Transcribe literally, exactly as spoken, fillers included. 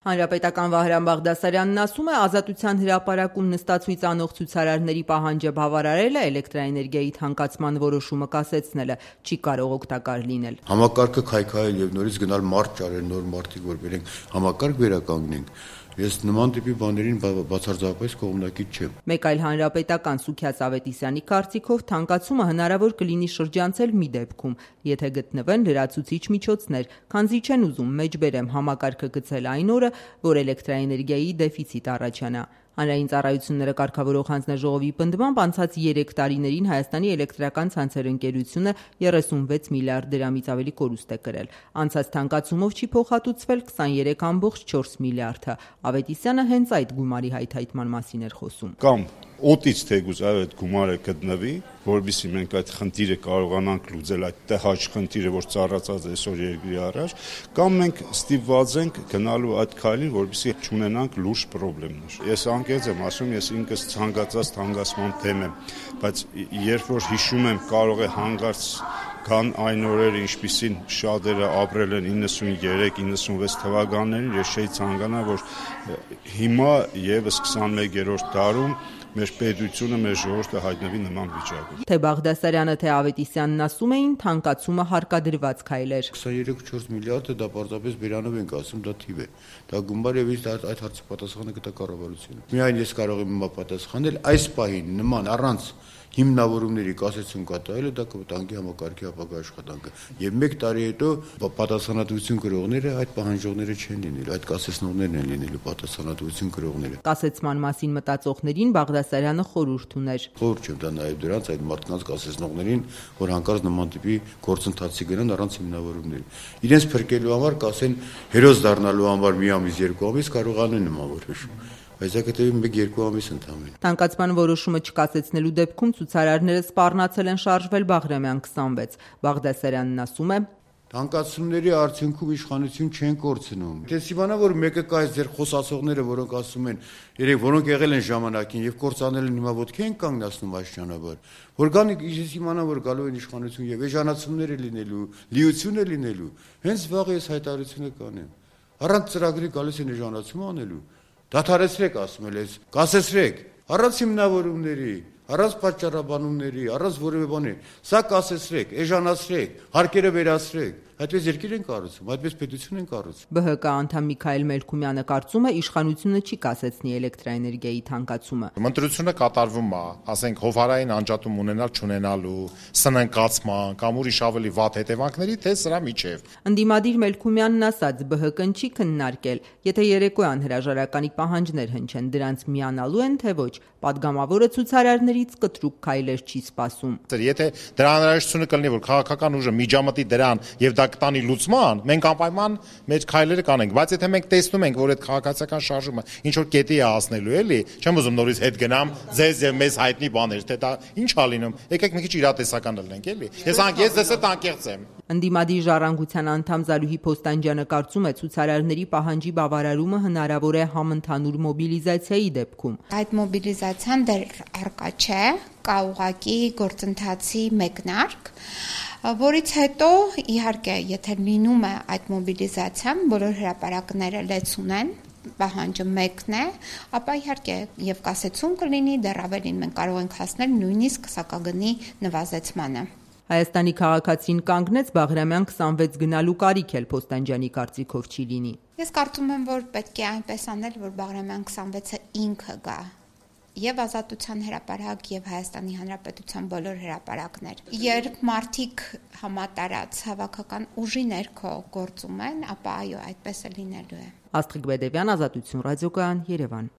Հանրապետական Վահրամ Բաղդասարյանն ասում է, Ազատության հրապարակում նստածույց անող ցուցարարների պահանջը բավարարելը, էլեկտրաէներգիայի թանկացման որոշումը կասեցնելը չի կարող օգտակար լինել։ Համակարգը քայքայել եւ նորից գնալ մարդ ճարել, նոր մարդիկ որ բերենք, համակարգ վերականգնենք։ Ես նման տիպի բաներին բացարձակապես կողմնակից չեմ։ Մեկ այլ հանրապետական Սուքիաց Ավետիսյանի կարծիքով թանկացումը հնարավոր կլինի շրջանցել մի դեպքում, եթե գտնվեն լրացուցիչ միջոցներ, քանզի չեն ուզում մեջբերեմ համակարգը գցել այն օրը, որ էլեկտրաէներգիայի դեֆիցիտ առաջանա։ Հանրային ծառայությունները կարգավորող հանձնաժողովի պնդմամբ անցած երեք տարիներին Հայաստանի էլեկտրական ցանցեր ընկերությունը երեսունվեց միլիարդ դրամից ավելի կորուստ է կրել։ Անցած թանկացումով չի փոխհատուցվել քսաներեք կόμma չորս միլիարդը։ Ավետիսյանը հենց այդ գումարի հայթայթման մասին էր խոսում։ Կամ օտից թեկուզ այդ գումարը գտնվի, որովհետեւ մենք այդ խնդիրը կարողանանք լուծել, այդ տհաճ խնդիրը, որ ծառացած է այսօր երկրի առաջ, կամ մենք ստիպված ենք գնալու այդ քայլին, որովհետեւ չունենանք լուրջ խնդիրներ։ Ես անկեղծ եմ ասում, ես ինքս ցանկացած թանկացման դեմ եմ, բայց երբ որ հիշում եմ, կարող է հանգարց կան այն օրերը, ինչպիսին շատերը ապրել են իննսուններեք իննսունվեց թվականներին, ես չէի ցանկանա, որ հիմա եւս քսաներկերորդ դարում մեր պետությունը, մեր ժողովուրդը հայտնվի նման վիճակում։ Թե Բաղդասարյանը, թե Ավետիսյանն ասում էին, թանկացումը հարկադրված քայլ էր։ քսաներեք կόμma չորս միլիարդը դա պարզապես բերանով ենք ասում, դա թիվ է։ Դա գումար եւ այդ հարցի պատասխանը կտա կառավարությունը։ Միայն ես կարող եմ հիմա պատասխանել, այս պահին նման առանց հիմնավորումների կասեցում կատարելը դա կվտանգի համակարգի ապագա աշխատանքը։ Եվ մեկ տարի հետո պատասխանատվություն կրողները այդ պահանջողները չեն լինելու, այդ կասեցնողներն են լինելու պատասխանատվություն կրողները։ Կասեցման մասին մտածողներին Բաղդասարյանը խորհուրդ ուներ։ Խորհուրդ չեմ դա նաև դրանց այդ մարդկանց կասեցնողներին, որ հանկարծ նման տիպի գործընթացի գնան առանց հիմնավորումների։ Իրենց փրկելու համար կասեն հերոս դառնալու համար մի ամիս, երկու ամիս կարողանեն նման որոշում։ Բայց դա կտևի մեկ-երկու ամիս ընդամենը։ Թանկացման որոշումը չկասեցնելու դեպքում ցուցարարները սպառնացել են շարժվել Բաղրամյան քսանվեց։ Բաղդասարյանն ասում է. Թանկացումների արդյունքում իշխանություն չեն կորցնում։ Դες իմանա, որ մեկը կա այս ձեր խոսացողները, որոնք ասում են, երեք որոնք եղել են ժամանակին եւ կորցանել են հիմա ոտքի են կանգնացնում աշճանաբար։ Որ կան ես իմանա, որ գալու են իշխանություն եւ էժանացումներ է լինելու, լիություն է լինելու։ Հենց վաղ ես հայտարարությունը կանեմ։ Առանց ծրագրի գալիս են էժանացում անելու։ Դադարեցրեք, ասում ես, կասեցրեք, առանց հիմնավորումների, առանց պատճառաբանումների, առանց որևէ բանի, սա կասեցրեք, էժանացրեք, հարկերը վերացրեք, այդպես երկիր են կառուցում, այդպես պետություն են կառուցում։ Բ Հ Կ անդամ Միքայել Մելքումյանը կարծում է, իշխանությունը չի կասեցնի էլեկտրաէներգիայի թանկացումը։ Ընտրությունը կատարվում է, ասենք հովհարային անջատում ունենալ չունենալու, սննկացման կամ ուրիշ ավելի վատ հետևանքների, թե սրա միջև։ Ընդդիմադիր Մելքումյանն ասաց, Բ Հ Կ-ն չի քննարկել, եթե երեկոյան հրաժարականի պահանջներ հնչեն, դրանց միանալու են, թե ոչ, պատգամավորը ցուցարարներից կտրուկ քայլեր չի սպասում։ Եթե դրա անհրաժեշտությունը կլինի, որ քաղաքական ուժը միջամտի դրան եւ դա կտանի լուծման, մենք անպայման մեր քայլերը կանենք, բայց եթե մենք տեսնում ենք, որ այդ քաղաքացիական շարժումը ինչ որ կետի է հասնելու, էլի, չեմ ուզում նորից հետ գնամ ձեզ եւ մեզ հայտնի բաներ, թե դա ինչ է լինում, եկեք մի քիչ իրատեսական լինենք, էլի։ Ես անկեղծ ես այդ անկեղծ եմ։ Ընդդիմադիր ժառանգության անդամ Զարուհի Փոստանջյանը կարծում է, ցուցարարների պահանջի բավարարումը հնարավոր է համընդհանուր մոբիլիզացիայի դեպքում։ Այդ մոբիլիզացիան դեռ առկա չէ, կա ուղղակի գործընթացի մեկնարկ, որից հետո իհարկե, եթե լինում է այդ մոբիլիզացիան, բոլոր հրապարակները լեցուն են, պահանջը մեկն է, ապա իհարկե եւ կասեցում կլինի, դեռ ավելին մենք կարող ենք հասնել նույնիսկ սակագնի նվազեցմանը։ Հայաստանի քաղաքացին կանգնեց Բաղրամյան քսանվեց գնալու կարիք էլ Փոստանջյանի կարծիքով չի լինի։ Ես կարծում եմ, որ պետք է այնպես անել, որ Բաղրամյան քսանվեցը ինքը գա եւ Ազատության հրապարակ եւ Հայաստանի Հանրապետության բոլոր հրապարակներ։ Երբ մարդիկ համատարած հավաքական ուժի ներքո գործում են, ապա այո, այդպես է լինելու է։ Աստղիկ Բեդևյան, Ազատություն ռադիոկայան, Երևան։